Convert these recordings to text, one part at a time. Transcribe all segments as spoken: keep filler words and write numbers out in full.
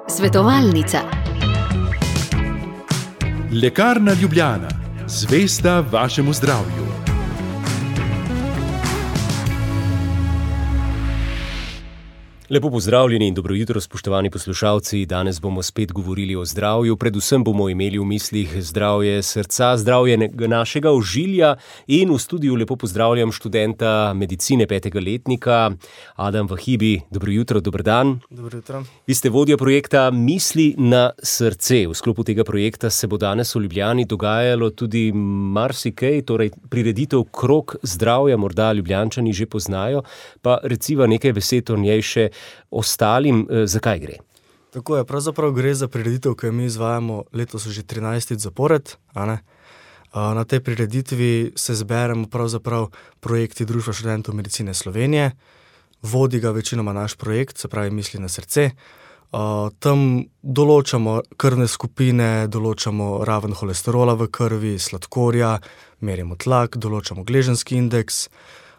Svetovalnica. Lekarna Ljubljana, zvesta vašemu zdravju. Lepo pozdravljeni in dobro jutro, spoštovani poslušalci. Danes bomo spet govorili o zdravju. Predvsem bomo imeli v mislih zdravje srca, zdravje našega ožilja in v studiu lepo pozdravljam študenta medicine petega letnika Adam Vahibi. Dobro jutro, dober dan. Dobro jutro. Vi ste vodja projekta Misli na srce. V sklopu tega projekta se bo danes v Ljubljani dogajalo tudi marsikaj, torej prireditev Krog zdravja, morda Ljubljančani že poznajo, pa reciva nekaj besed o njej še ostalim. Zakaj gre? Tako je, pravzaprav gre za prireditev, ki jo mi izvajamo letos že trinajstič zapored. A ne? Na tej prireditvi se zberemo pravzaprav projekti Društva študentov medicine Slovenije. Vodi ga večinoma naš projekt, se pravi Misli na srce. Tam določamo krvne skupine, določamo raven holesterola v krvi, sladkorja, merimo tlak, določamo gleženski indeks.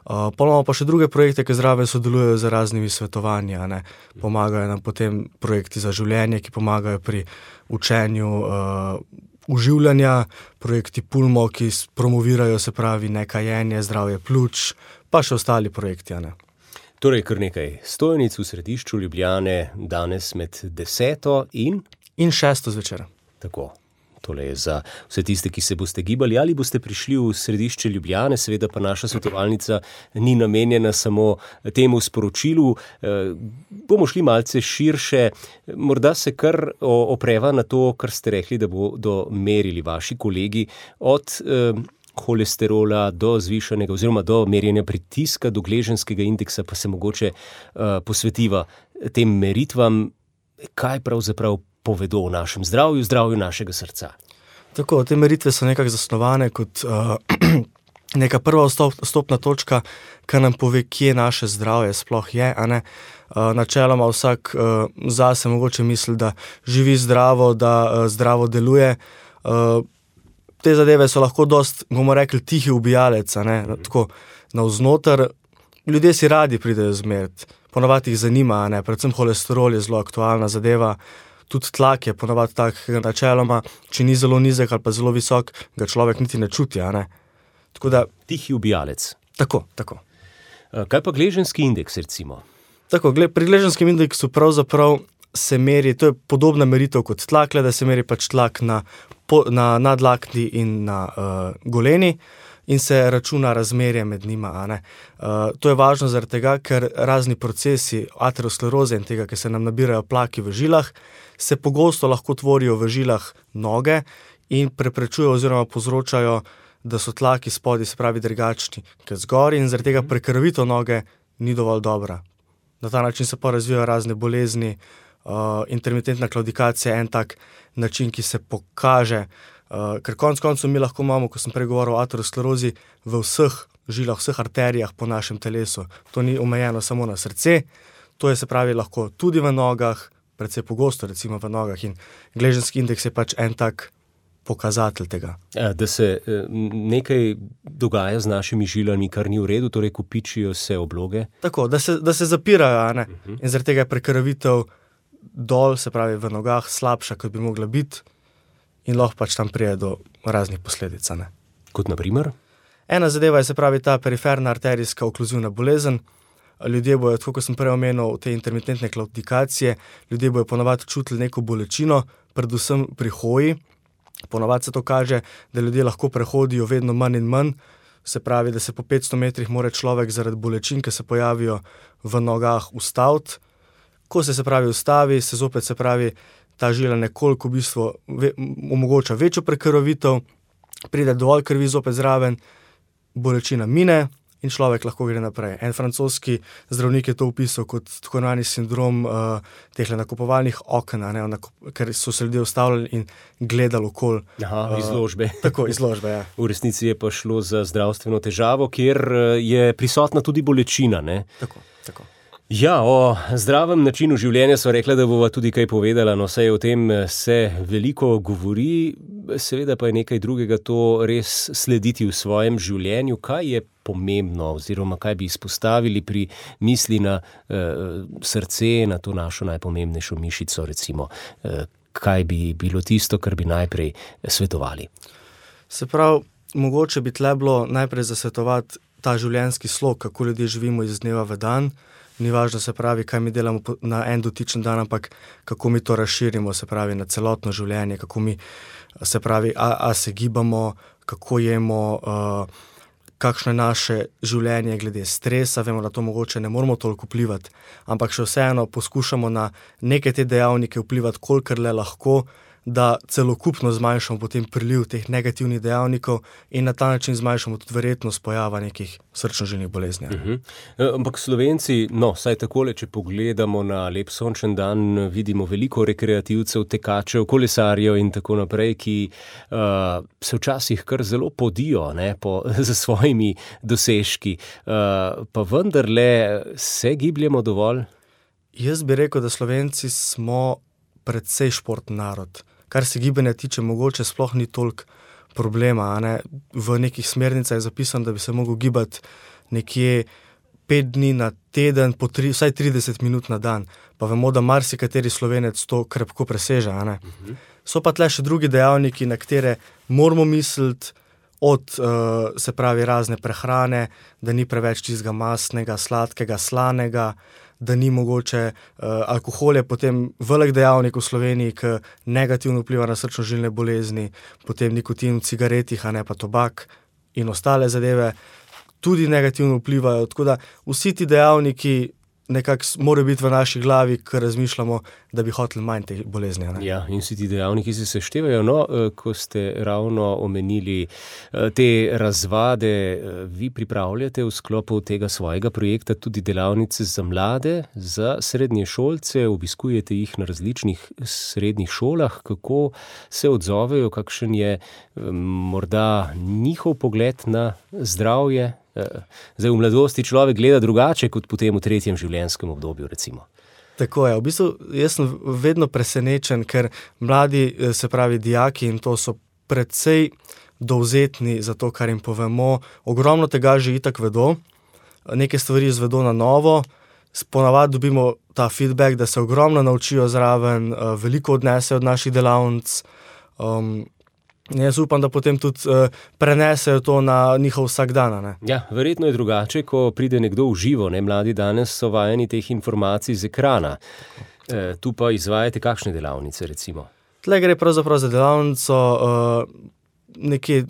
Uh, pa imamo pa še druge projekte, ki zraven sodelujejo z raznimi svetovanji, a ne. Pomagajo nam potem projekti za življenje, ki pomagajo pri učenju uh, uživljanja, projekti Pulmo, ki promovirajo, se pravi, nekajenje, zdravje pljuč, pa še ostali projekti, a ne. Torej, kar nekaj stojnic v središču Ljubljane, danes med deseto in? In šesto zvečer. Tako. Tole je za vse tiste, ki se boste gibali ali boste prišli v središče Ljubljane, seveda pa naša svetovalnica ni namenjena samo temu sporočilu. E, bomo šli malce širše, morda se kar opreva na to, kar ste rekli, da bodo merili vaši kolegi, od e, holesterola do zvišanega oziroma do merjenja pritiska, do gleženskega indeksa, pa se mogoče e, posvetiva tem meritvam, kaj pravzaprav povedo o našem zdravju, zdravju našega srca. Tako, te meritve so nekako zasnovane kot uh, neka prva vstop, vstopna točka, ki nam pove, kje naše zdravje sploh je, a ne. Uh, načeloma vsak uh, zase mogoče misli, da živi zdravo, da uh, zdravo deluje. Uh, te zadeve so lahko dost, bomo rekli, tihi ubijalec, a ne. Mm-hmm. Tako, navznoter, ljudje si radi pridejo zmeriti, ponavadi jih zanima, a ne. Predvsem holesterol je zelo aktualna zadeva. Tudi tlak je ponavadi takega načeloma, če ni zelo nizek ali pa zelo visok, ga človek niti ne čuti, a ne. Tako da... Tihi ubijalec. Tako, tako. Kaj pa gleženski indeks, recimo? Tako, pri gleženskem indeksu pravzaprav se meri, to je podobna meritev kot tlak, le da se meri pač tlak na, na nadlakni in na uh, goleni in se računa razmerje med njima, a ne. Uh, to je važno zaradi tega, ker razni procesi ateroskleroze in tega, ki se nam nabirajo plaki v žilah, se pogosto lahko tvorijo v žilah noge in preprečujejo oziroma povzročajo, da so tlaki spodaj, se pravi, drugačni kot zgori in zaradi tega prekrvitev noge ni dovolj dobra. Na ta način se pa razvijajo razne bolezni, uh, intermitentna klaudikacija je en tak način, ki se pokaže, uh, ker konec koncev mi lahko imamo, ko sem prej govoril o aterosklerozi, v vseh žilah, vseh arterijah po našem telesu. To ni omejeno samo na srce, to je, se pravi, lahko tudi v nogah, predvsej pogosto recimo v nogah in gleženski indeks je pač en tak pokazatelj tega. Da se nekaj dogaja z našimi žilami, kar ni v redu, torej kopičijo se obloge? Tako, da se, da se zapirajo, a ne? Uh-huh. In zaradi tega je prekrvitev dol, se pravi v nogah, slabša, kot bi mogla biti in lahko pač tam prije do raznih posledic, a ne? Kot na primer? Ena zadeva je, se pravi, ta periferna arterijska okluzivna bolezen. Ljudje bojo, tako kot sem prej omenil, te intermitentne klaudikacije, ljudje bojo ponavadi čutili neko bolečino, predvsem pri hoji. Ponavadi se to kaže, da ljudje lahko prehodijo vedno manj in manj, se pravi, da se po petsto metrih mora človek zaradi bolečin, ki se pojavijo v nogah, ustaviti. Ko se, se pravi, ustavi, se zopet, se pravi, ta žila nekoliko v bistvu ve, omogoča večjo prekrvavitev, pride dovolj krvi zopet zraven, bolečina mine in človek lahko gre naprej. En francoski zdravnik je to opisal kot tako imenovani sindrom uh, teh nakupovalnih oken, ne, ker so se ljudje ustavljali in gledali okoli. Aha, izložbe. Uh, tako, izložbe, ja. V resnici je pa šlo za zdravstveno težavo, kjer je prisotna tudi bolečina, ne? Tako, tako. Ja, o zdravem načinu življenja so rekla, da bova tudi kaj povedala, no saj o tem se veliko govori, seveda pa je nekaj drugega to res slediti v svojem življenju. Kaj je pomembno oziroma kaj bi izpostavili pri misli na uh, srce, na to našo najpomembnejšo mišico, recimo, uh, kaj bi bilo tisto, kar bi najprej svetovali? Se pravi, mogoče bi tle bilo najprej zasvetovati ta življenjski slog, kako ljudje živimo iz dneva v dan. Ni važno, se pravi, kaj mi delamo na en dotičen dan, ampak kako mi to razširimo, se pravi, na celotno življenje, kako mi, se pravi, a, a se gibamo, kako jemo, uh, kakšno je naše življenje glede stresa. Vemo, da to mogoče ne moramo toliko vplivati, ampak še vseeno poskušamo na neke te dejavnike vplivati, kolikor le lahko, da celokupno zmanjšamo potem priliv teh negativnih dejavnikov in na ta način zmanjšamo tudi verjetnost pojava nekih srčno-žilnih bolezni. Uh-huh. Ampak Slovenci, no, saj takole, če pogledamo na lep sončen dan, vidimo veliko rekreativcev, tekačev, kolesarjev in tako naprej, ki uh, se včasih kar zelo podijo, ne, po, za svojimi dosežki. Uh, pa vendarle se gibljemo dovolj? Jaz bi rekel, da Slovenci smo predvsej športni narod. Kar se gibanja tiče, mogoče sploh ni toliko problema. A ne? V nekih smernicah je zapisano, da bi se mogel gibati nekje pet dni na teden, po tri, vsaj trideset minut na dan. Pa vemo, da marsikateri Slovenec to krepko preseže. A ne? Uh-huh. So pa tle še drugi dejavniki, na katere moramo misliti, od uh, se pravi razne prehrane, da ni preveč čistega mastnega, sladkega, slanega, da ni mogoče uh, alkohol je potem velik dejavnik v Sloveniji, ki negativno vpliva na srčno-žilne bolezni, potem nikotin v cigaretih, a ne pa tobak in ostale zadeve tudi negativno vplivajo. Tako da vsi ti dejavniki nekako morajo biti v naši glavi, ker razmišljamo, da bi hoteli manj teh bolezni. Ne? Ja, in vsi ti dejavniki se seštevajo. No, ko ste ravno omenili te razvade, vi pripravljate v sklopu tega svojega projekta tudi delavnice za mlade, za srednješolce, obiskujete jih na različnih srednjih šolah. Kako se odzovejo, kakšen je morda njihov pogled na zdravje? Zdaj, v mladosti človek gleda drugače kot potem v tretjem življenjskem obdobju, recimo. Tako je. V bistvu jaz sem vedno presenečen, ker mladi, se pravi dijaki, in to so precej dovzetni za to, kar jim povemo. Ogromno tega že itak vedo, neke stvari izvedo na novo, ponavadi dobimo ta feedback, da se ogromno naučijo zraven, veliko odnesejo od naših delavnic. Um, Jaz upam, da potem tudi uh, prenesejo to na njihov vsakdan. Ne? Ja, verjetno je drugače, ko pride nekdo v živo. Ne? Mladi danes so vajeni teh informacij z ekrana. E, tu pa izvajate kakšne delavnice, recimo? Tle gre pravzaprav za delavnico uh, nekje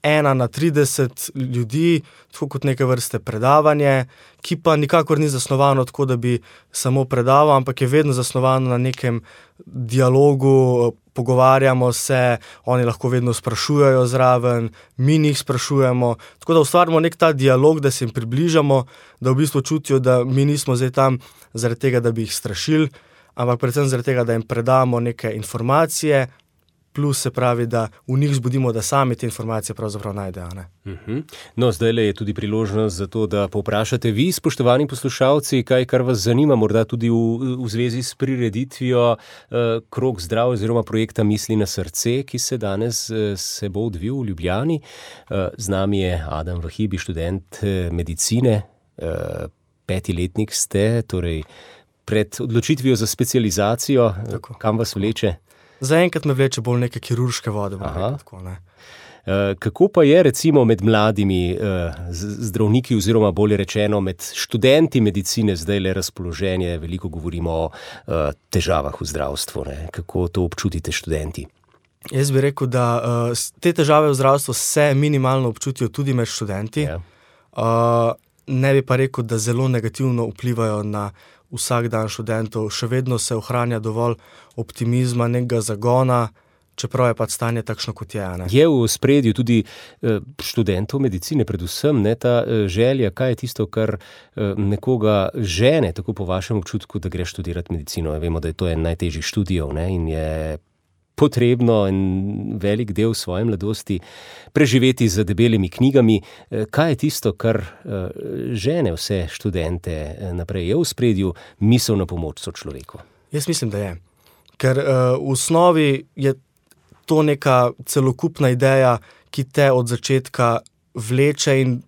ena na trideset ljudi, tako kot neke vrste predavanje, ki pa nikakor ni zasnovano tako, da bi samo predaval, ampak je vedno zasnovano na nekem dialogu, pogovarjamo se, oni lahko vedno sprašujejo zraven, mi njih sprašujemo, tako da ustvarimo nek ta dialog, da se jim približamo, da v bistvu čutijo, da mi nismo zdaj tam zaradi tega, da bi jih strašili, ampak predvsem zaradi tega, da jim predamo neke informacije, plus se pravi, da v njih zbudimo, da sami te informacije pravzaprav najdejo. Ne? Uh-huh. No, zdajle je tudi priložnost za to, da povprašate vi, spoštovani poslušalci, kaj kar vas zanima, morda tudi v, v zvezi s prireditvijo uh, Krog zdrav oziroma projekta Misli na srce, ki se danes uh, se bo odvil v Ljubljani. Uh, z nami je Adam Vahibi, študent uh, medicine, uh, petiletnik ste, torej pred odločitvijo za specializacijo. Tako. Kam vas vleče? Zaenkrat me vleče bolj neke kirurške vode. Tako, ne. Kako pa je recimo med mladimi zdravniki oziroma bolje rečeno med študenti medicine zdaj le razpoloženje? Veliko govorimo o težavah v zdravstvu. Ne? Kako to občutite študenti? Jaz bi rekel, da te težave v zdravstvu se minimalno občutijo tudi med študenti. Ja. Ne bi pa rekel, da zelo negativno vplivajo na vsak dan študentov. Še vedno se ohranja dovolj optimizma, nekega zagona, čeprav je pa stanje takšno, kot je. Ne? Je v ospredju tudi študentov medicine, predvsem ne, ta želja, kaj je tisto, kar nekoga žene, tako po vašem občutku, da gre študirati medicino. Vemo, da je to en najtežjih študijev, ne, in je potrebno en velik del svoje mladosti preživeti z debelimi knjigami. Kaj je tisto, kar žene vse študente naprej? Je v ospredju misel na pomoč sočloveku? Jaz mislim, da je. Ker uh, v osnovi je to neka celokupna ideja, ki te od začetka vleče in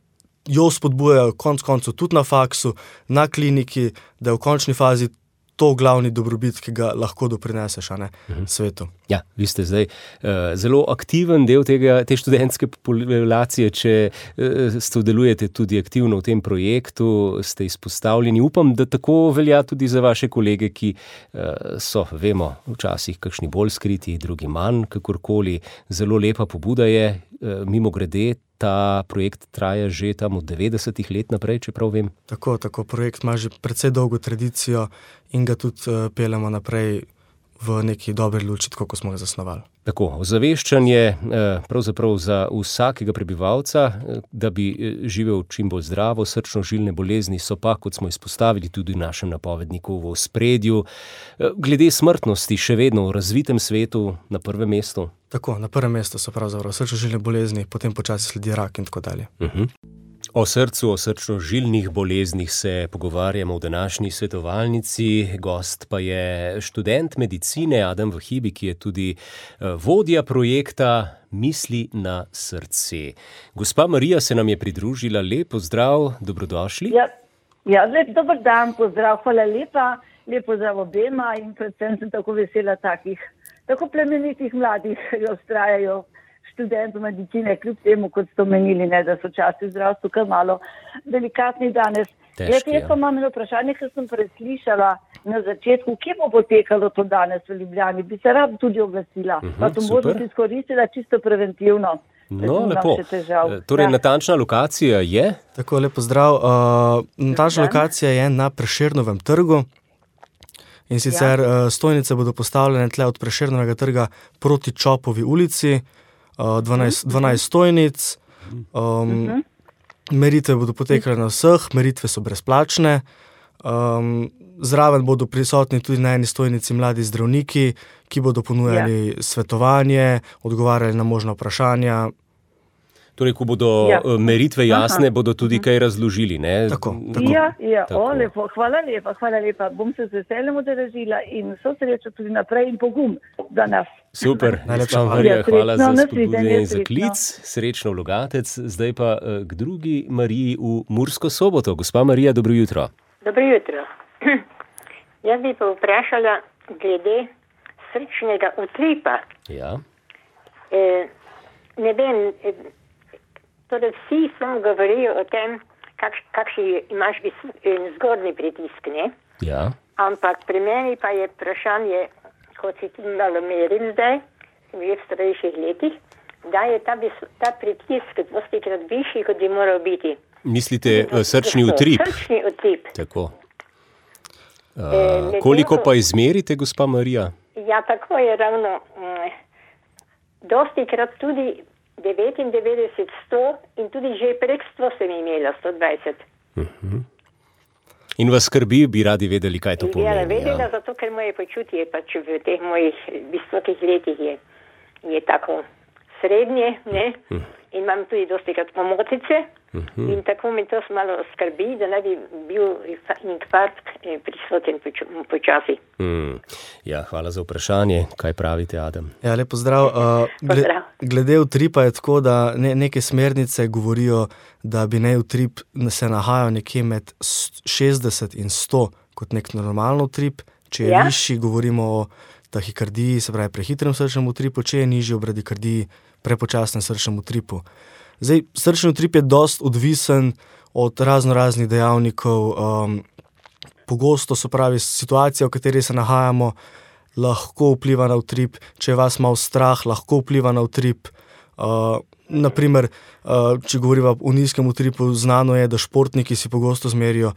jo spodbujajo konc koncu tudi na faksu, na kliniki, da je v končni fazi to glavni dobrobit, ki ga lahko doprineseš, a ne, uh-huh. svetu. Ja, vi ste zdaj uh, zelo aktiven del tega, te študentske populacije, če uh, sodelujete tudi aktivno v tem projektu, ste izpostavljeni. Upam, da tako velja tudi za vaše kolege, ki uh, so, vemo, včasih kakšni bolj skriti, drugi manj, kakorkoli. Zelo lepa pobuda je, uh, mimo grede, ta projekt traja že tam od devetdesetih let naprej, čeprav vem. Tako, tako, projekt ima že precej dolgo tradicijo in ga tudi uh, peljemo naprej v neki dobri luči, tako kot smo ga zasnovali. Tako, ozaveščanje pravzaprav za vsakega prebivalca, da bi živel čim bolj zdravo, srčno-žilne bolezni so pa, kot smo izpostavili tudi v našem napovedniku, v ospredju. Glede smrtnosti še vedno v razvitem svetu na prvem mestu? Tako, na prvem mestu so pravzaprav srčno-žilne bolezni, potem počasi sledi rak in tako dalje. Uh-huh. O srcu, o srčno-žilnih boleznih se pogovarjamo v današnji svetovalnici. Gost pa je študent medicine Adam Vahibi, ki je tudi vodja projekta Misli na srce. Gospa Marija se nam je pridružila. Lep pozdrav, dobrodošli. Ja, ja lep dober dan, pozdrav, hvala lepa. Lep pozdrav obema in predvsem sem tako vesela takih, tako plemenitih mladih, ki vztrajajo študentov medicine, kljub temu, kot ste omenili, ne, da so časi v zdravstvu kar malo delikatni danes. Težki, jaz pa imam eno vprašanje, ker sem preslišala na začetku, kje bo potekalo to danes v Ljubljani. Bi se rad tudi oglasila, uh-huh, pa to možnost izkoristila čisto preventivno. No, lepo. Torej, ja. Natančna lokacija je? Tako, lepo zdrav. Uh, natančna lokacija je na Prešernovem trgu. In sicer ja. uh, stojnice bodo postavljene tle od Prešernovega trga proti Čopovi ulici. dvanajst, dvanajst stojnic, um, uh-huh. meritve bodo potekale na vseh, meritve so brezplačne, um, zraven bodo prisotni tudi na eni stojnici mladi zdravniki, ki bodo ponujali ja. svetovanje, odgovarjali na možna vprašanja. Torej, ko bodo ja. meritve jasne, Aha. bodo tudi kaj razložili, ne? Tako, tako. Ja, ja. Tako. O, lepo, hvala lepa, hvala lepa. Bom se z veseljem udeležila in vso srečo tudi naprej in pogum za nas. Super, najlepša Marija, hvala za spodbude in za klic. Srečno Logatec, zdaj pa k drugi Mariji v Mursko Soboto. Gospa Marija, dobro jutro. Dobro jutro. Jaz bi pa vprašala glede srčnega utripa. Ja. E, ne vem, e, torej vsi samo govorijo o tem, kakš, kakšni imaš zgornji pritisk, ne? Ja. Ampak pri meni pa je vprašanje, kot si tudi malo merim zdaj, v starejših letih, da je ta, ta pritisk dostikrat višji, kot bi moral biti. Mislite srčni utrip? Srčni utrip. Tako. Uh, e, koliko pa izmerite, gospa Marija? Ja, tako je ravno. Mm, dostikrat tudi devetindevetdeset, sto in tudi že prek sto sem imela, sto dvajset. Uh-huh. In vas skrbi, bi radi vedeli, kaj to pomeni? Ja, vedela, ja. Zato ker moje počutje pač v teh mojih visokih letih je, je tako srednje, ne? Uh-huh. In imam tudi dosti krat omotice uh-huh. in tako mi to malo skrbi, da ne bi bil infarkt prisoten počasi. Hmm. Ja, hvala za vprašanje. Kaj pravite, Adam? Ja, lepo zdrav. Uh, gled, glede utripa je tako, da ne, neke smernice govorijo, da bi naj utrip se nahajal nekje med šestdeset in sto kot nek normalen utrip. Če je ja. višji, govorimo o tahikardiji, se pravi prehitrem srčnem utripu, če je nižji o bradikardiji, prepočasnem srčnem utripu. Zdaj, srčni utrip je dost odvisen od razno raznih dejavnikov. Um, pogosto so pravi situacija, v kateri se nahajamo, lahko vpliva na utrip. Če je vas malo strah, lahko vpliva na utrip. Uh, naprimer, uh, če govorimo o nizkem utripu, znano je, da športniki si pogosto zmerijo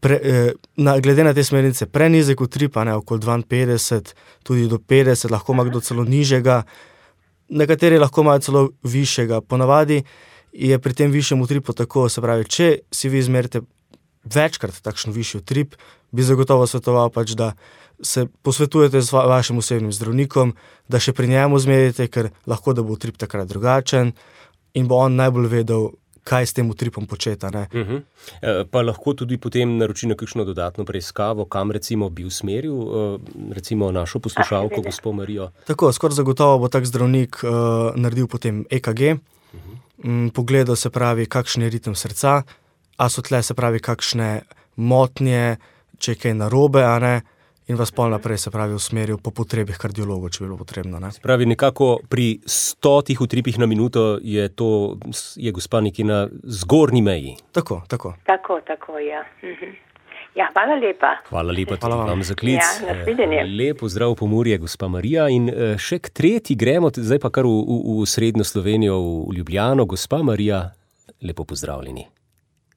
Pre, eh, na, glede na te smernice, prenizek utrip, ne, okoli dvainpetdeset, tudi do petdeset, lahko ima kdo celo nižjega, nekateri lahko imajo celo višjega. Ponavadi je pri tem višjem utripu tako, se pravi, če si vi izmerite večkrat takšen višji utrip, bi zagotovo svetoval pač, da se posvetujete z va, vašim osebnim zdravnikom, da še pri njemu zmerite, ker lahko da bo utrip takrat drugačen in bo on najbolj vedel, kaj s tem utripom početa. Ne? Uh-huh. E, pa lahko tudi potem naroči na kakšno dodatno preiskavo, kam recimo bi usmeril recimo našo poslušalko, gospod Marijo? Tako, skoraj zagotovo bo tak zdravnik uh, naredil potem E K G, uh-huh. m, pogledal, se pravi, kakšen je ritem srca, a so tle, se pravi, kakšne motnje, če je kaj narobe, a ne, in vas pol naprej, se pravi, usmeril po potrebih kardiologov, če bi bilo potrebno. Ne? Se pravi, nekako pri stotih utripih na minuto je to, je gospa nekje na zgornji meji. Tako, tako. Tako, tako, ja. Mhm. Ja, hvala lepa. Hvala lepa tudi Hvala vam. vam za klic. Ja, nasvidenje. Lep pozdrav Pomurje, gospa Marija. In še k tretji gremo, zdaj pa kar v, v, v srednjo Slovenijo, v Ljubljano. Gospa Marija, lepo pozdravljeni.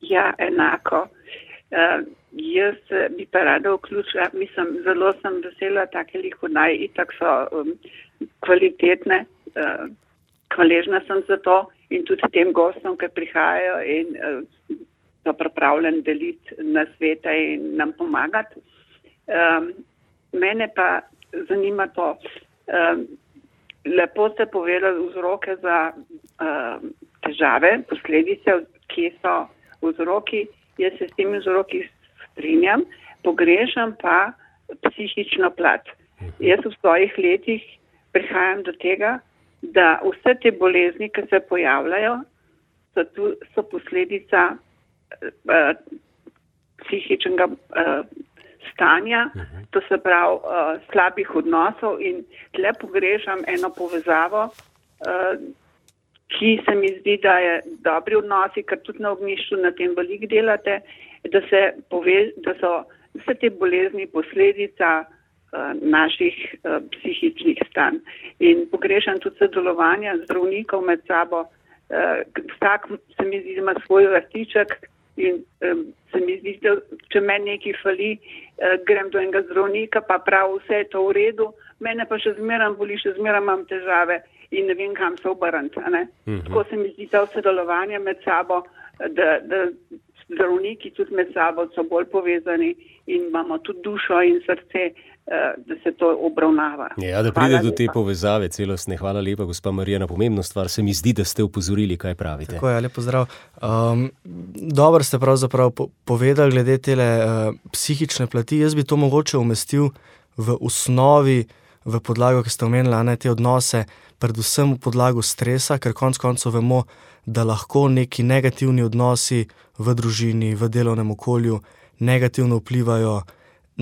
Ja, enako. Uh, jaz bi pa rada vključila, mislim, zelo sem vesela, take lihodaj, itak so um, kvalitetne, uh, hvaležna sem za to in tudi tem gostom, ki prihajajo in uh, so pripravljeni deliti na svete in nam pomagati. Um, mene pa zanima to, um, lepo ste povedali vzroke za um, težave, posledice, kje so vzroki. Jaz se s temi vzroki strinjam, pogrešam pa psihično plat. Jaz v svojih letih prihajam do tega, da vse te bolezni, ki se pojavljajo, so, tu, so posledica uh, psihičnega uh, stanja, to se pravi uh, slabih odnosov in tle pogrešam eno povezavo, uh, ki se mi zdi, da je dobri odnosi, ker tudi na ognjišču na tem veliko delate, da, se pove, da so vse te bolezni posledica uh, naših uh, psihičnih stanj. In pogrešam tudi sodelovanja zdravnikov med sabo. Uh, vsak se mi zdi, da ima svoj vrtiček in um, se mi zdi, da če meni nekaj fali, uh, grem do enega zdravnika, pa prav vse je to v redu, mene pa še zmeram boli, še zmeram imam težave. In ne vem, kam se obrniti. Mm-hmm. Tako se mi zdi to sodelovanje med sabo, da, da zdravniki tudi med sabo so bolj povezani in imamo tudi dušo in srce, da se to obravnava. Ja, da pride do te povezave celostne. Hvala lepa, gospa Marija, na pomembno stvar. Se mi zdi, da ste upozorili, kaj pravite. Tako je, lep pozdrav. Um, dobro ste pravzaprav po- povedali glede tele uh, psihične plati. Jaz bi to mogoče umestil v osnovi, v podlago, ki ste omenili, ne, te odnose, predvsem v podlago stresa, ker konec koncev vemo, da lahko neki negativni odnosi v družini, v delovnem okolju negativno vplivajo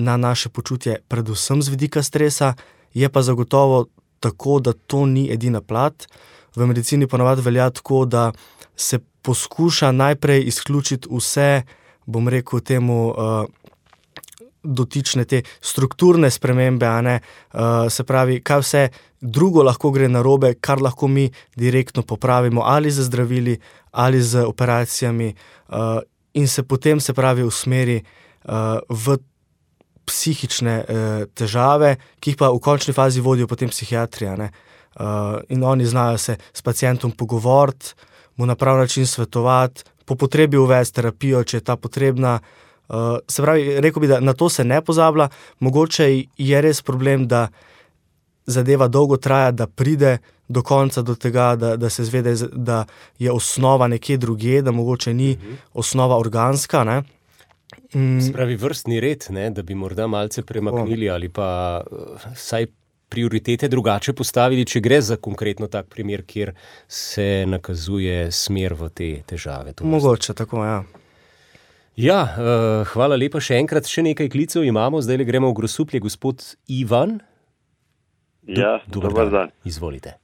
na naše počutje, predvsem z vidika stresa, je pa zagotovo tako, da to ni edina plat. V medicini ponavadi velja tako, da se poskuša najprej izključiti vse, bom rekel temu, uh, dotične te strukturne spremembe, a ne, uh, se pravi, kaj vse drugo lahko gre narobe, kar lahko mi direktno popravimo ali z zdravili ali z operacijami uh, in se potem, se pravi, usmeri uh, v psihične uh, težave, ki jih pa v končni fazi vodijo potem psihiatrija, ne. Uh, in oni znajo se s pacientom pogovoriti, mu na prav način svetovati, po potrebi uvesti terapijo, če je ta potrebna. Uh, se pravi, rekel bi, da na to se ne pozablja, mogoče je res problem, da zadeva dolgo traja, da pride do konca do tega, da, da se zvede, da je osnova nekje drugje, da mogoče ni uh-huh. osnova organska, ne. Mm. Se pravi, vrstni red, ne, da bi morda malce premaknili ali pa uh, saj prioritete drugače postavili, če gre za konkretno tak primer, kjer se nakazuje smer v te težave. Mogoče, tako, ja. Ja, uh, hvala lepa še enkrat. Še nekaj klicev imamo, zdaj le gremo v Grosuplje. Gospod Ivan. Do, ja, dober dan. dan. Izvolite.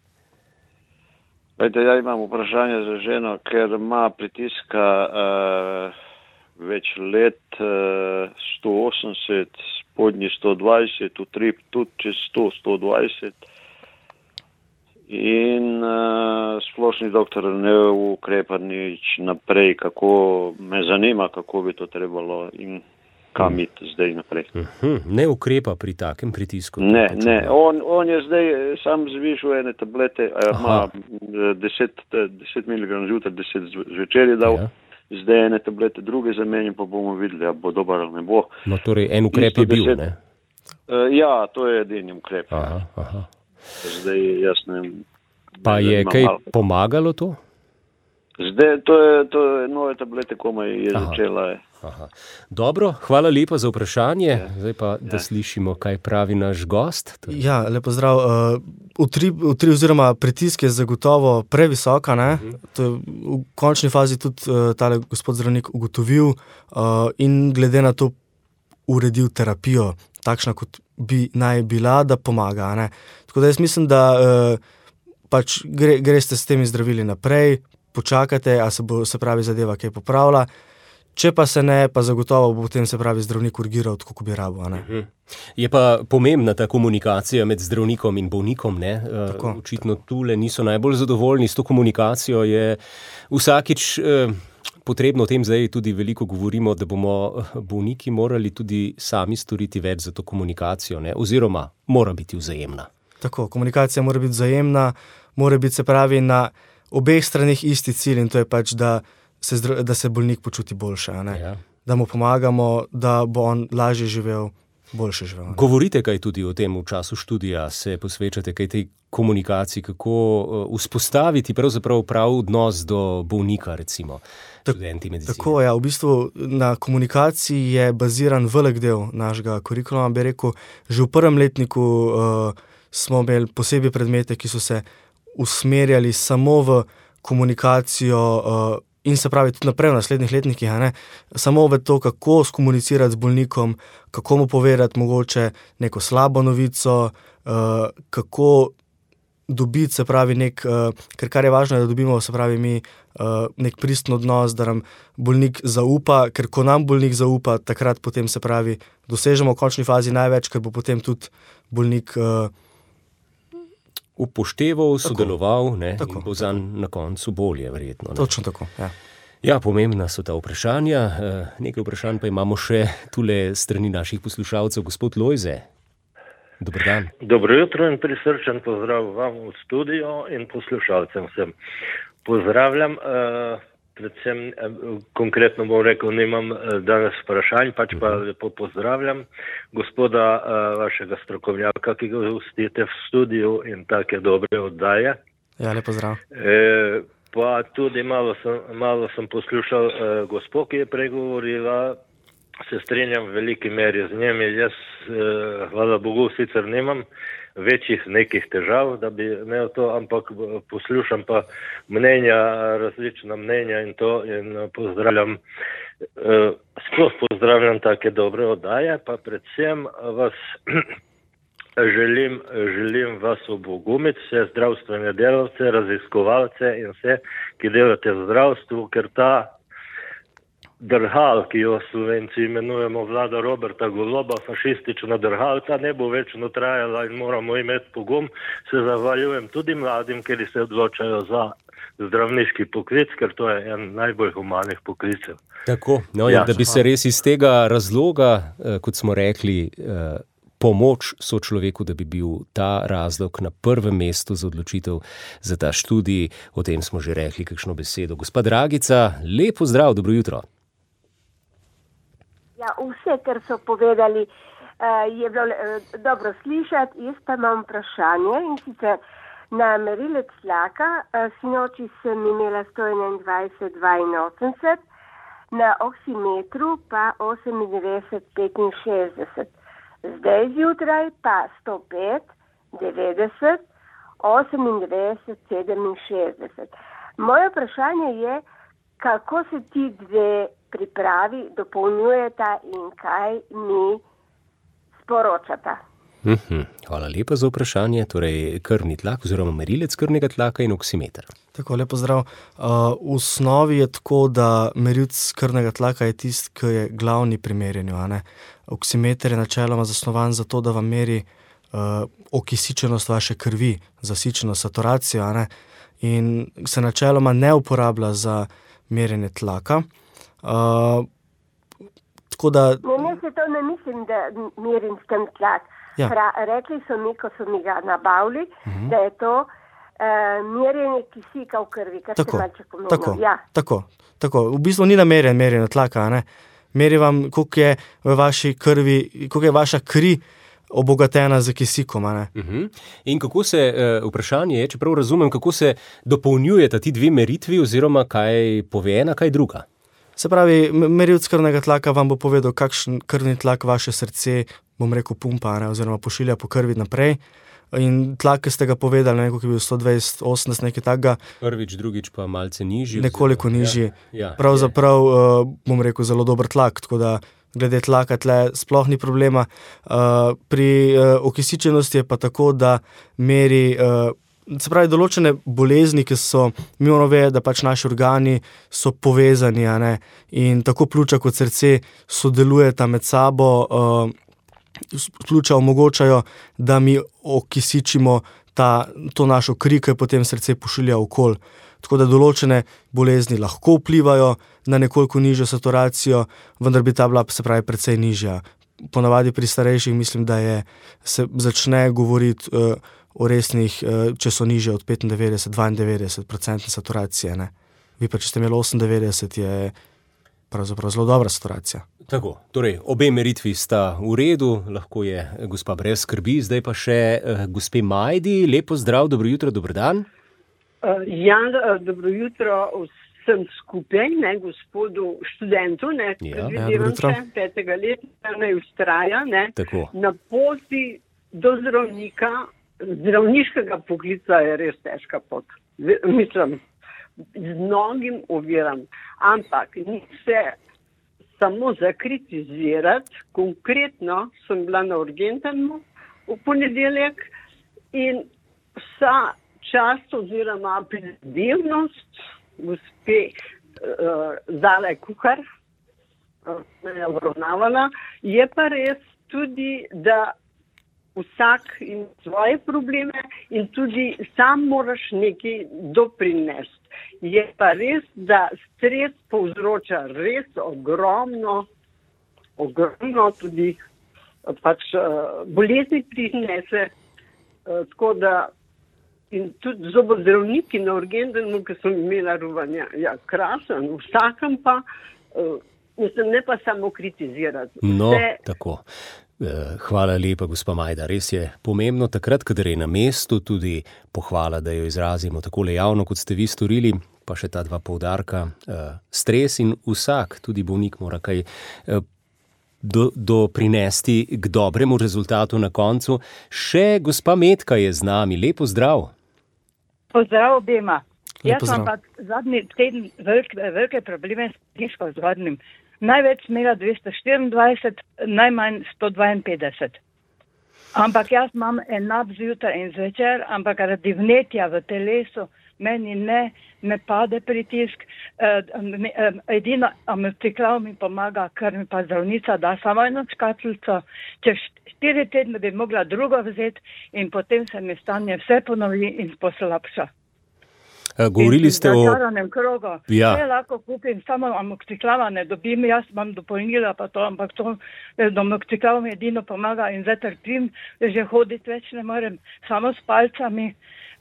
Vejte, ja imam vprašanje za ženo, ker ima pritiska uh, več let, uh, sto osemdeset, spodnji sto dvajset, utrip tudi čez sto, sto dvajset. In uh, splošni doktor ne ukrepa nič naprej, kako me zanima, kako bi to trebalo in kam hmm. iti zdaj naprej. Uh-huh. Ne ukrepa pri takem pritisku? Ne, ne. On, on je zdaj sam zvišil ene tablete, ima deset miligramov zjutraj, deset zvečer je dal, ja. Zdaj ene tablete druge zamenjam, pa bomo videli, a bo dober ali ne bo. No, torej en ukrep je bil, ne? Uh, ja, to je edini ukrep. Aha, aha. Zdaj jasno. Pa je kaj malo pomagalo to? Zdaj, to je, to je nove tablete, komaj je Aha. začela. Aha. Dobro, hvala lepa za vprašanje. Ja. Zdaj pa, da ja. slišimo, kaj pravi naš gost. Torej. Ja, lepo zdrav. Uh, utrip, utrip oziroma pritisk je zagotovo previsoka. Uh-huh. To je v končni fazi tudi uh, tale gospod zdravnik ugotovil uh, in glede na to uredil terapijo, takšna kot bi naj bila, da pomaga. Ne? Tako da jaz mislim, da uh, pač gre, greste s temi zdravili naprej, počakate, a se bo, se pravi, zadeva kaj popravila. Če pa se ne, pa zagotovo bo potem, se pravi, zdravnik urgiral, tako kot bi rabo. Uh-huh. Je pa pomembna ta komunikacija med zdravnikom in bolnikom, ne? Tako, Očitno tule niso najbolj zadovoljni s to komunikacijo. Je vsakič eh, potrebno o tem zdaj tudi veliko govorimo, da bomo bolniki morali tudi sami storiti več za to komunikacijo, ne? Oziroma mora biti vzajemna. Tako, komunikacija mora biti vzajemna, mora biti, se pravi, na obeh stranih isti cilj in to je pač, da se, da se bolnik počuti boljše, ne? Ja. Da mu pomagamo, da bo on lažje živel, boljše živel. Ne? Govorite kaj tudi o tem v času študija, se posvečate kaj tej komunikaciji, kako vzpostaviti pravzaprav prav odnos do bolnika, recimo, študenti medicine. Tako, ja, v bistvu na komunikaciji je baziran velik del našega kurikuluma, bi rekel, že v prvem letniku uh, smo imeli posebej predmete, ki so se usmerjali samo v komunikacijo uh, in se pravi tudi naprej v naslednjih letnikih, ne? Samo v to, kako skomunicirati z bolnikom, kako mu povedati mogoče neko slabo novico, uh, kako dobiti, se pravi, nek, uh, ker kar je važno, je, da dobimo, se pravi, mi uh, nek pristen odnos, da nam bolnik zaupa, ker ko nam bolnik zaupa, takrat potem, se pravi, dosežemo v končni fazi največ, ker bo potem tudi bolnik uh, upošteval, sodeloval, ne, tako, in bo zanj na koncu bolje, verjetno. Ne. Točno tako, ja. Ja, pomembna so ta vprašanja. Nekaj vprašanj pa imamo še tule strani naših poslušalcev. Gospod Lojze, dober dan. Dobro jutro in prisrčen pozdrav vam v studio in poslušalcem vsem. Pozdravljam, uh, predvsem uh, konkretno bom rekel, nimam uh, danes vprašanj, pač pa uh-huh. lepo pozdravljam gospoda uh, vašega strokovnjaka, ki ga ustite v studiu in take dobre oddaje. Ja, lepo zdrav. E, pa tudi malo sem, malo sem poslušal uh, gospod, ki je pregovorila, se strinjam v veliki meri z njimi. Jaz, uh, hvala Bogu, sicer nimam večjih nekih težav, da bi imel to, ampak poslušam pa mnenja, različna mnenja in to in pozdravljam, uh, sploh pozdravljam take dobre oddaje, pa predvsem vas želim, želim vas obogumiti, vse zdravstvene delavce, raziskovalce in vse, ki delate v zdravstvu, ker ta drhal, ki jo Slovenci imenujemo vlada Roberta Goloba, fašistična drhal, ta ne bo večno trajala in moramo imeti pogum. Se zahvaljujem tudi mladim, ker se odločajo za zdravniški poklic, ker to je en najbolj humanih poklicev. Tako, no, ja, da bi se res iz tega razloga, kot smo rekli, pomoč sočloveku, da bi bil ta razlog na prvem mestu za odločitev za ta študij. O tem smo že rekli kakšno besedo. Gospa Dragica, lepo zdrav, dobro jutro. Ja, vse, kar so povedali, je bilo dobro slišati. Jaz pa imam vprašanje in sicer na merilec tlaka, sinoči sem imela sto enaindvajset dvainosemdeset, na oksimetru pa osemindevetdeset petinšestdeset. Zdaj zjutraj pa sto pet devetdeset osemindevetdeset sedeminšestdeset. Moje vprašanje je, kako se ti dve pripravi dopolnjujeta in kaj mi sporočata. Mhm, hvala lepa za vprašanje. Torej, krvni tlak oziroma merilec krvnega tlaka in oksimeter. Tako, lepo zdrav. Uh, v osnovi je tako, da merilec krvnega tlaka je tisti, ki je glavni pri merjenju. Oksimeter je načeloma zasnovan za to, da vam meri uh, okisičenost vaše krvi, zasičenost, saturacijo, a ne? In se načeloma ne uporablja za merjenje tlaka. Uh, tako da... Ne, ne se to ne mislim, da merim s tem tlak. Ja. Pra, rekli so mi, ko so mi ga nabavili, uh-huh. da je to uh, merjenje kisika v krvi, kar tako, se malce pomenilo. Tako, ja. tako, tako. V bistvu ni namerjen merjenje tlaka, ne? Meri vam, koliko je v vaši krvi, koliko je vaša kri obogatena z kisikom. Uh-huh. In kako se, vprašanje je, čeprav razumem, kako se dopolnjujeta ti dve meritvi oziroma kaj pove ena, kaj druga? Se pravi, merilec krvnega tlaka vam bo povedal, kakšen krvni tlak vaše srce, bom rekel, pumpa, ne, oziroma pošilja po krvi naprej. In tlak, ki ste ga povedali, nekako je bil sto dvajset osemdeset, nekaj takega. Prvič, drugič pa malce nižji. Nekoliko oziroma, nižji. Ja, ja, Pravzaprav, uh, bom rekel, zelo dober tlak, tako da glede tlaka tle sploh ni problema. Uh, pri uh, okisičenosti je pa tako, da meri, uh, se pravi, določene bolezni, ki so, mi moramo vedeti, da pač naši organi so povezani, a ne, in tako pljuča kot srce sodelujeta med sabo, uh, pljuča omogočajo, da mi okisičimo ta, to našo kri, ki potem srce pošilja okoli. Tako da določene bolezni lahko vplivajo na nekoliko nižjo saturacijo, vendar bi ta bila, se pravi, precej nižja. Ponavadi pri starejših mislim, da je, se začne govoriti uh, o resnih, uh, če so nižje od petindevetdeset do dvaindevetdeset procentne saturacije. Ne? Vi pa, če ste imeli osemindevetdeset, je pravzaprav zelo dobra saturacija. Tako, torej obe meritvi sta v redu, lahko je gospa brez skrbi, zdaj pa še uh, gospe Majdi, lepo zdrav, dobro jutro, dober dan. Uh, ja, dobro jutro vsem skupaj, ne, gospodu študentu, ne, ja, predvidevam se, petega leta, ne, ustraja, ne, tako. Na poti do zdravnika, zdravniškega poklica je res težka pot. Mislim, z mnogim oviram, ampak ni se samo zakritizirati. Konkretno sem bila na urgentnemu v ponedeljek in vsa čast oziroma prizadevnost gospe uh, Zale Kuhar uh, me je obravnavala. Je pa res tudi, da vsak ima svoje probleme in tudi sam moraš nekaj doprinesti. Je pa res, da stres povzroča res ogromno, ogromno tudi pač uh, bolezni prinese, uh, tako da in tudi zobozdravniki na urgentnemu, ki so imela rovanja, ja, krasen, vsakem pa, uh, mislim, ne pa samo kritizirati. No, Vse... tako. Hvala lepa, gospa Majda. Res je pomembno takrat, kadar je na mestu, tudi pohvala, da jo izrazimo takole javno, kot ste vi storili, pa še ta dva poudarka. Stres in vsak, tudi bolnik, mora kaj do, do prinesti k dobremu rezultatu na koncu. Še gospa Metka je z nami. Lepo zdrav. Pozdrav obema. Lepo Jaz sem pa zadnji teden velike, velike probleme s disko zgodnim. Največ imela dvesto štiriindvajset, najmanj sto dvainpetdeset. Ampak jaz imam enak zjutraj in zvečer, ampak radi vnetja v telesu meni ne, ne pade pritisk. Edino amoksiklav mi pomaga, ker mi pa zdravnica da samo eno škatlico. Čez štiri tedne bi mogla drugo vzeti in potem se mi stanje vse ponovi in poslabša. Govorili ste o... krogu. Ja. Vse lahko kupim, samo amoksiklava ne dobim, jaz imam dopolnila pa to, ampak to amoksiklav mi edino pomaga in zdaj trpim, že hoditi več ne morem, samo s palcami,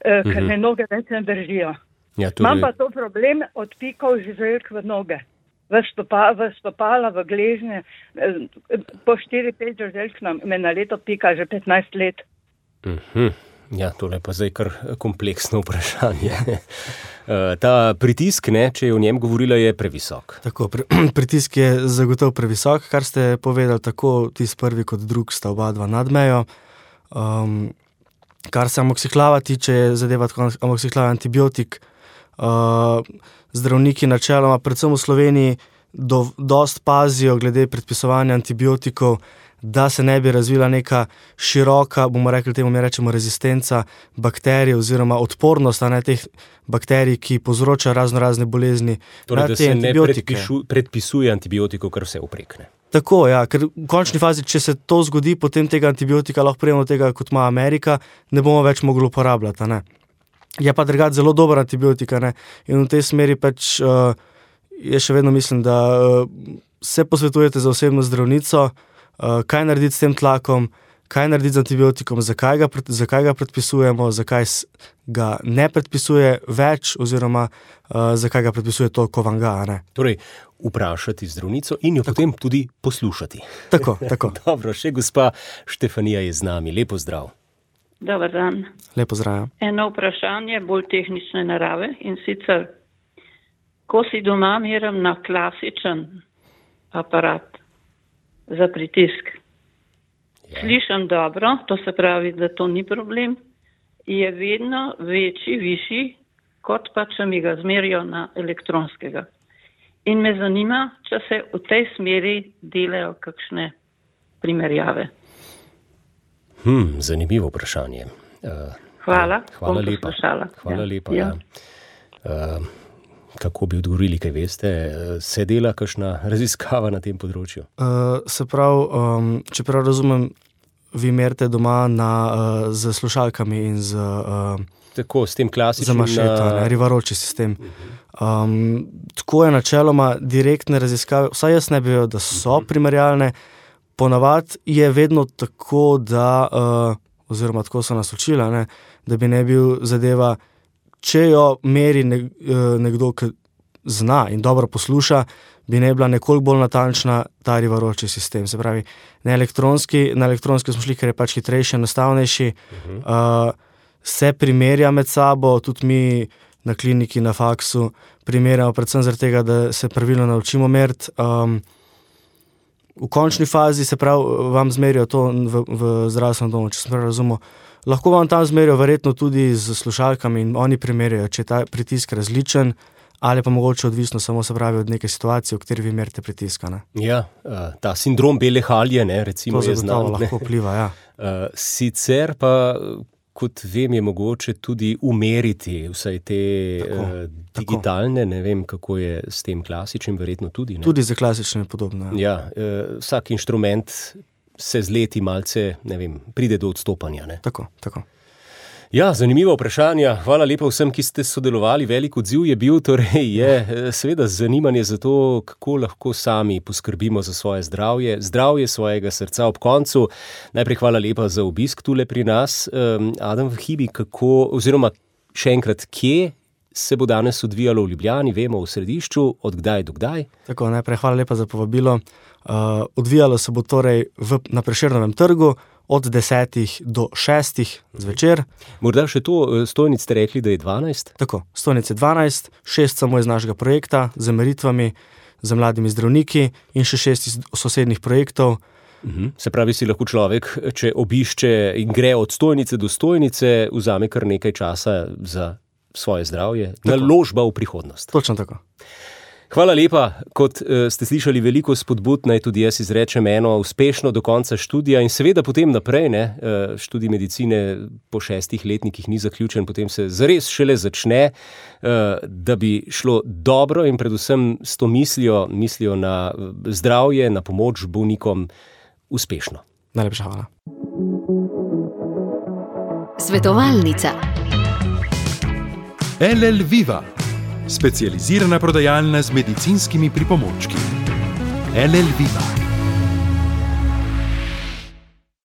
eh, ker me noge več ne držijo. Ja, tudi... Imam pa to problem od pikov žuželk v noge, v, stopa, v stopala, v gležnje, eh, po štiri pet žuželk me na leto pika že petnajst let. Mhm. Ja, tole pa zdaj kar kompleksno vprašanje. Ta pritisk, ne, če je o njem govorila, je previsok. Tako, pri, pritisk je zagotovo previsok, kar ste povedali, tako tisti prvi kot drug sta oba dva nad mejo. Um, kar se amoksiklava tiče, je zadeva tako amoksiklava antibiotik. Uh, zdravniki načeloma, predvsem v Sloveniji, do, dost pazijo glede predpisovanja antibiotikov, da se ne bi razvila neka široka, bomo rekli temu, mi rečemo rezistenca bakterij oziroma odpornost na teh bakterij, ki povzroča razno razne bolezni. Torej, da se ne predpišu, predpisuje antibiotikov, kar vse uprekne. Tako, ja, ker v končni fazi, če se to zgodi, potem tega antibiotika lahko prijemo tega, kot ima Amerika, ne bomo več mogli uporabljati, ne. Je pa drugače zelo dober antibiotika, ne, in v tej smeri pač, uh, jaz še vedno mislim, da uh, se posvetujete za osebno zdravnico, Uh, kaj narediti s tem tlakom, kaj narediti z antibiotikom, zakaj ga, zakaj ga predpisujemo, zakaj ga ne predpisuje več oziroma uh, zakaj ga predpisuje to, ko vam ga, ne. Torej, vprašati zdravnico in jo tako potem tudi poslušati. Tako, tako. Dobro, še gospa Štefanija je z nami. Lepo zdrav. Dobar dan. Lepo zdrav. Eno vprašanje bolj tehnične narave in sicer, ko si doma meram na klasičen aparat za pritisk, ja. Slišam dobro, to se pravi, da to ni problem, je vedno večji, višji, kot pa če mi ga zmerijo na elektronskega. In me zanima, če se v tej smeri delajo kakšne primerjave. Hmm, zanimivo vprašanje. Uh, hvala, hvala lepa. Hvala ja. lepa, ja. ja. Uh, kako bi odgovorili, kaj veste? Se dela kakšna raziskava na tem področju? Uh, se pravi, um, če prav razumem, vi merite doma na, uh, z slušalkami in z... Uh, tako, s tem klasičnim... Za mašeto, na... rivaroči sistem. Um, tako je načeloma direktne raziskave, vsaj jaz ne bi vedel, da so primerjalne. Ponavad je vedno tako, da, uh, oziroma tako so nas učila, ne, da bi ne bil zadeva, če jo meri ne, uh, nekdo, ki zna in dobro posluša, bi ne bila nekoliko bolj natančna ta rivaroči sistem. Se pravi, na elektronski, na elektronski smo šli, ker je pač hitrejši, enostavnejši, uh, se primerja med sabo, tudi mi na kliniki, na faksu primerjamo predvsem zaradi tega, da se pravilno naučimo meriti. Um, v končni fazi se pravi, vam zmerijo to v, v zdravstvenem domu, če sem prav razumel. Lahko vam tam zmerijo verjetno tudi z slušalkami in oni primerjajo, če je ta pritisk različen ali pa mogoče odvisno samo se pravi od neke situacije, v kateri vi merite pritiska. Ne? Ja, ta sindrom bele halje, ne, recimo to je znan. To lahko vpliva, ja. Sicer pa, kot vem, je mogoče tudi umeriti vsaj te tako, uh, digitalne, tako. Ne vem, kako je s tem klasičnim, verjetno tudi. Ne? Tudi za klasične je podobno. Ja, ja uh, vsak inštrument se z leti malce, ne vem, pride do odstopanja. Ne? Tako, tako. Ja, zanimiva vprašanja. Hvala lepa vsem, ki ste sodelovali. Velik odziv je bil, torej je seveda zanimanje za to, kako lahko sami poskrbimo za svoje zdravje, zdravje svojega srca ob koncu. Najprej hvala lepa za obisk tule pri nas. Um, Adam Vhibi, kako, oziroma še enkrat, kje se bo danes odvijalo v Ljubljani, vemo, v središču, od kdaj do kdaj? Tako, najprej hvala lepa za povabilo. Uh, odvijalo se bo torej v, na Prešernovem trgu, od desetih do šestih zvečer. Morda še to, stojnic ste rekli, da je dvanajst? Tako, stojnic je dvanajst, šest samo iz našega projekta, z meritvami, za mladimi zdravniki in še šest iz sosednjih projektov. Uhum. Se pravi, si lahko človek, če obišče in gre od stojnice do stojnice, vzame kar nekaj časa za svoje zdravje, naložba v prihodnost. Točno tako. Hvala lepa, kot uh, ste slišali veliko spodbud, naj tudi jaz izrečem eno uspešno do konca študija in seveda potem naprej, ne, uh, študij medicine po šestih letnikih ni zaključen, potem se zares šele začne, uh, da bi šlo dobro in predvsem s to mislijo, mislijo na zdravje, na pomoč bolnikom uspešno. Najlepša hvala. Svetovalnica. L L Viva. Specializirana prodajalna z medicinskimi pripomočki. L L Viva.